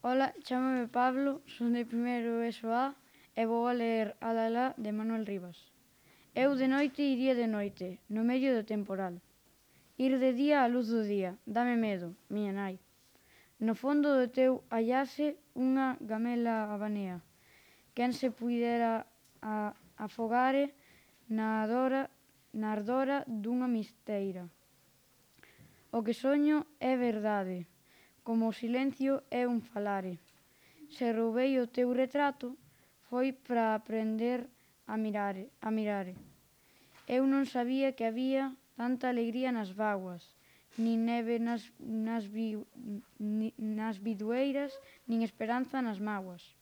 Ola, chámame Pablo, son de primeiro ESO A e vou a ler Alalá de Manuel Rivas. Eu de noite iría de noite, no medio do temporal. Ir de día á luz do día, dame medo, miña nai. No fondo do teu hallase unha gamela abanea. Quen se puidera afogare na ardora dunha misteira. O que soño é verdade, como o silencio é un falare. Se roubei o teu retrato, foi para aprender a mirare. Eu non sabía que había tanta alegría nas bágoas, nin neve nas bidueiras, nin esperanza nas mágoas.